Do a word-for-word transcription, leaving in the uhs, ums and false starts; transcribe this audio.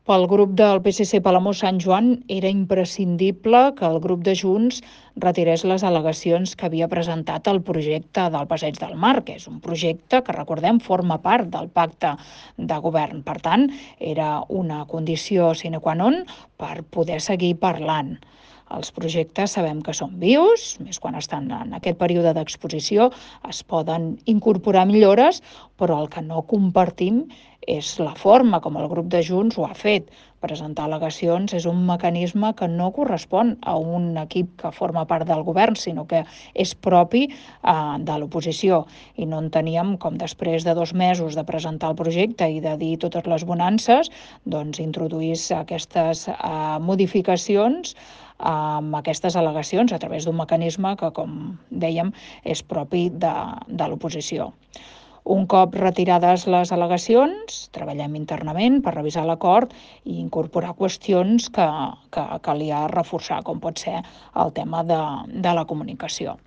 Pel grup del P S C Palamós Sant Joan era imprescindible que el grup de Junts retirés les al·legacions que havia presentat al projecte del Passeig del Mar, que és un projecte que, recordem, forma part del pacte de govern. Per tant, era una condició sine qua non per poder seguir parlant. Els projectes sabem que són vius, més quan estan en aquest període d'exposició, es poden incorporar millores, però el que no compartim és la forma com el grup de Junts ho ha fet. Presentar al·legacions és un mecanisme que no correspon a un equip que forma part del govern, sinó que és propi eh, de l'oposició. I no enteníem com després de dos mesos de presentar el projecte i de dir totes les bonances, doncs introduís aquestes eh, modificacions amb aquestes al·legacions a través d'un mecanisme que, com dèiem, és propi de, de l'oposició. Un cop retirades les al·legacions, treballem internament per revisar l'acord i incorporar qüestions que, que calia reforçar, com pot ser el tema de, de la comunicació.